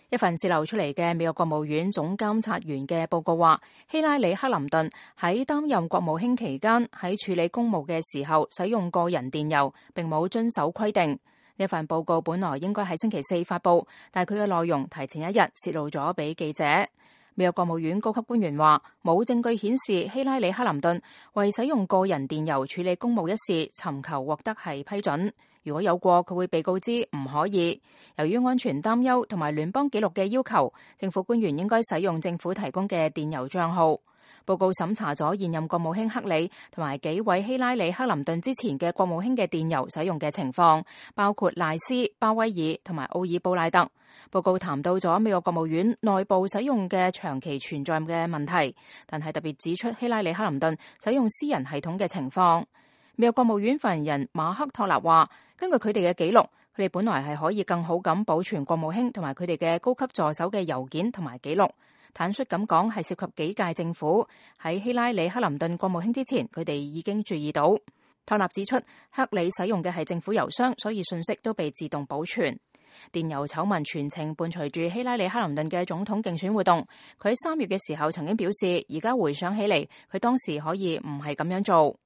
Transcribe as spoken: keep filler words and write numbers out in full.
一份洩漏出嚟嘅美國國務院總監察員嘅報告話，希拉里克林頓喺擔任國務卿期間喺處理公務嘅時候使用個人電郵，並冇遵守規定。呢份報告本來應該喺星期四發佈，但係佢嘅內容提前一日洩露咗俾記者。美國國務院高級官員話，冇證據顯示希拉里克林頓為使用個人電郵處理公務一事尋求獲得係批准。如果有過，佢會被告知唔可以。由於安全擔憂同埋聯邦紀錄嘅要求，政府官員應該使用政府提供嘅電郵帳號。報告審查咗現任國務卿克里同埋幾位希拉里克林頓之前嘅國務卿嘅電郵使用嘅情況，包括賴斯、鮑威爾同埋奧爾布賴特。報告談到咗美國國務院內部使用嘅長期存在嘅問題，但係特別指出希拉里克林頓使用私人系統嘅情況。美國國務院發言人馬克托納話，根據佢哋嘅記錄，佢哋本來係可以更好咁保存國務卿同埋佢哋嘅高級助手嘅郵件同埋記錄。坦率咁講，係涉及幾屆政府。喺希拉里克林頓國務卿之前，佢哋已經注意到。托納指出，克里使用嘅係政府郵箱，所以信息都被自動保存。電郵醜聞全程伴隨住希拉里克林頓嘅總統競選活動。佢喺三月嘅時候曾經表示，而家回想起嚟，佢當時可以唔係咁樣做。